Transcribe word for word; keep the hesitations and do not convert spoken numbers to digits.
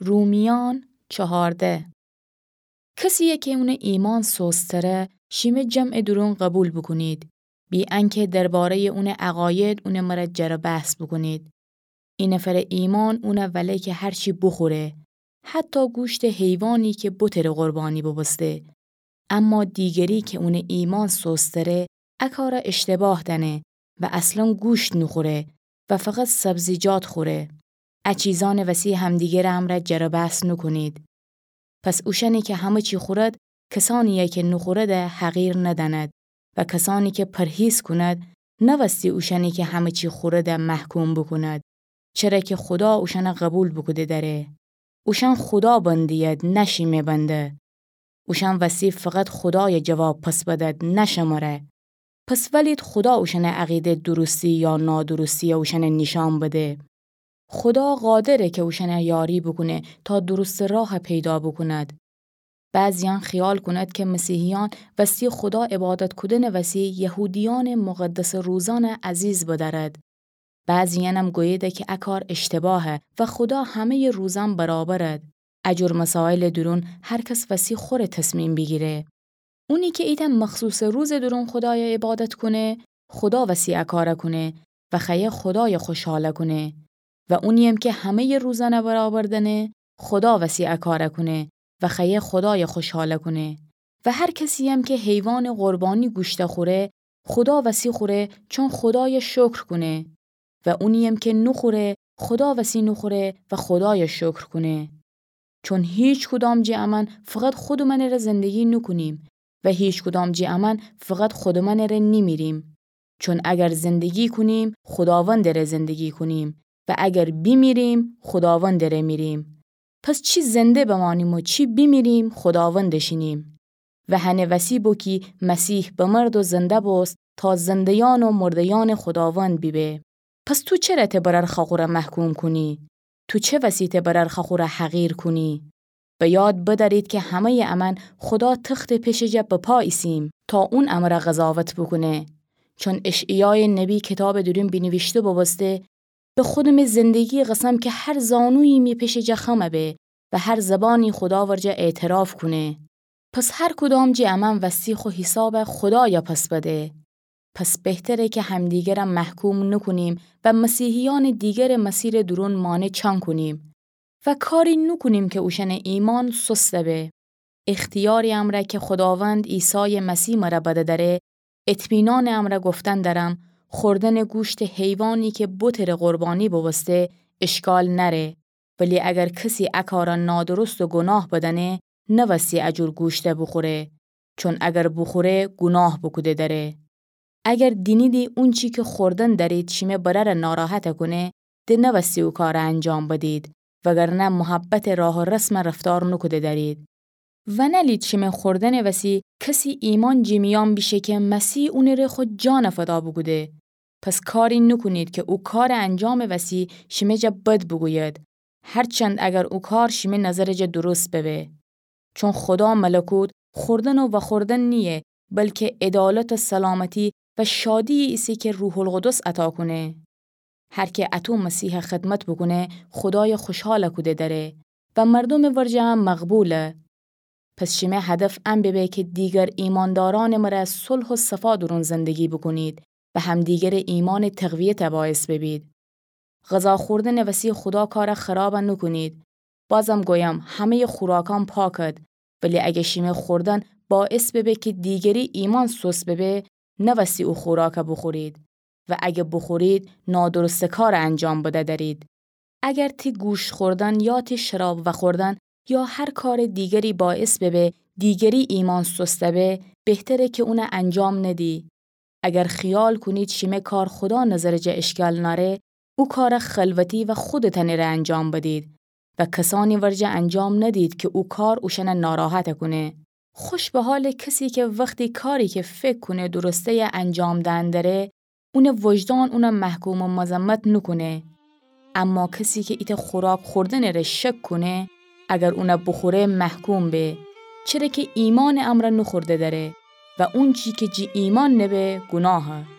رومیان چهارده. کسیی کی اونٚ ایمأن سستره، شیمه جمعٚ دورون قوبیل بوکونید، بی انکه درباره‌یٚ اونٚ عقاید اونٚ مره جر و بحث بوکونید. اینفرٚ ایمأن اونه وله کی هر چی بوخوره، حتی گوشتٚ حیوانی کی بتٚ ره قربانی بوبوسته. اما دیگری کی اونٚ ایمأن سستره، ا کاره اشتباه دأنه و اصلاً گوشت نوخوره و فقط سبزیجات خوره. ا چیزأنٚ وسی همدیگرٚ امرأ جر و بحث نوکونید. پس اوشأنی کی همه چی خورد، کسأنیی کی نوخورده حقیر ندأند و کسأنی کی پرهیز کند، نوستی اوشأنی کی همه چی خورده محکوم بوکوند، چره کی خودا اوشأن قوبیل بوکوده دأره. اوشأن خودا بنده‌ید، نه شیمه بنده. اوشأن وسی فقط خودای جواب پس بدد، نه شمره. پس ولید خودا اوشأنٚ عقیده درستی یا نادرستیی اوشأن نیشأن بده. خودا قادره کی اوشأن یاری بوکونه تا درستٚ راه پیدا بوکوند. بعضییأن خیال کونید کی مسیحیأن وستی خودا عبادت کودنٚ وسی یهودیأنٚ مقدسٚ روزأن عزیز بدأرد. بعضییأنم گوییده کی ا کار اشتباهه و خودا همه‌یٚ روزأن برابرد. ا جور مسایلٚ دورون هر کس وسی خوره تصمیم بیگیره. اونی کی ایتأ مخصوصٚ روزٚ دورون خودای عبادت کونه، خودا وسی ا کار کونه و خوأیه خودای خوشحال کونه. و اونییم کی همه‌یٚ روزأن برابر دأنه، خودا وسی ا کار کونه و خوأیه خودای خوشحال کونه. و هر کسییم کی حیوانٚ قربانی گوشت خوره، خودا وسی خوره، چون خودای شکر کونه. و اونییم کی نوخوره، خودا وسی نوخوره و خودای شکر کونه. چون هیچ کدام جٚه امأن فقط خودٚ منٚ ره زندگی نوکونیم و هیچ کدام جٚه امأن فقط خودٚ منٚ ره نیمیریم. چون اگر زندگی کونیم، خوداوندٚ ره زندگی کونیم و اگر بیمیریم، خوداوندٚ ره میریم. پس چی زنده بمأنیم و چی بیمیریم، خوداوندٚ شینیم. و هنٚ وسی بو کی مسیح بمرد و زنده بوست تا زنده‌یأن و مرده‌یأنٚ خوداوند بیبه. پس تو چره ته برأر خاخوره محکوم کونی؟ تو چه وسی ته برأر خاخوره حقیر کونی؟ به یاد بدأرید کی همه‌یٚ امأن خودا تختٚ پیشٚ جا به پا ایسیم تا اون امره قضاوت بوکونه. چون اشعیایٚ نبی کیتابٚ دورون بینیویشته بوبوسته: به خودمٚ زندگی قسم کی هر زانویی می پیشٚ جا خم به و هر زبانی خودا ورجه اعتراف کونه. پس هر کدام جٚه امأن وستی خو حیساب خودای پس بده. پس بهتره کی همدیگره محکوم نوکونیم و مسیحیأنٚ دیگرٚ مسیرٚ دورون مانع چأن کونیم و کاری نوکونیم کی اوشأنٚ ایمأن سست به. اختیارٚ امرأ کی خوداوند عیسایٚ مسیح مره بده دأره، اطمینانٚ امرأ گفتن دأرم، خوردنٚ گوشتٚ حیوانی کی بتٚ ره قربانی بوبوسته اشکال نأره. ولی اگر کسی ا کار نادرست و گوناه بدأنه، نوستی ا جور گوشت بوخوره، چون اگر بوخوره گوناه بوکوده دأره. اگر دینیدی اونچی کی خوردن دأرید شیمه برأر ناراحت کونه، د نوستی او کار انجام بدید، وگرنه محبتٚ راه و رسم رفتار نوکوده دأرید. و نألید شیمه خوردنٚ وسی کسی ایمأن جٚه میأن بیشه کی مسیح اونٚ ره خو جان فدا بوکوده. پس کاری نوکونید کی او کارٚ انجامٚ وسی شیمه جا بد بوگوید، هرچند اگر او کار شیمه نظرٚ جا درست ببه. چون خودا ملکوت خوردن و وخوردن نییه، بلکی عدالت و سلامتی و شادیی ایسه کی روح‌القدس عطا کونه. هر کی اطو مسیح خدمت بوکونه، خودای خوشحال کوده دأره و مردومٚ ورجه هم مقبوله. پس شیمه هدف ان ببه کی دیگر ایماندارأنٚ مره صلح و صفا دورون زندگی بوکونید و همدیگرٚ ایمأنٚ تقویت باعث ببید. غذا خوردنٚ وسی خودا کار خراب نوکونید. بازم گویم، همه‌یٚ خوراکأن پاکد، ولی اگه شیمه خوردن باعث ببه کی دیگری ایمأن سست ببه، نوستی او خوراک بوخورید. و اگه بوخورید، نادرستٚ کار انجام بده دأرید. اگر تی گوشت خوردن یا تی شراب وخوردن یا هر کارٚ دیگری باعث ببه دیگری ایمأن سست به، بهتره کی اون انجام ندی. اگر خیال کونید شیمه کار خودا نظرٚ جا اشکال نأره، او کار خلوتی و خودتأنٚ ره انجام بدید و کسأنی ورجه انجام ندید کی او کار اوشأن ناراحت کونه. خوش به حالٚ کسی کی وختی کاری کی فکر کونه درسته‌یه انجام دئن دره، اونٚ وجدان اون محکوم و مذمت نوکونه. اما کسی کی ایتأ خوراک خوردنٚ ره شک کونه، اگر اون بوخوره محکوم به، چره کی ایمأنٚ امرأ نوخورده دأره و اونچی کی جی ایمأن نبه گوناهه.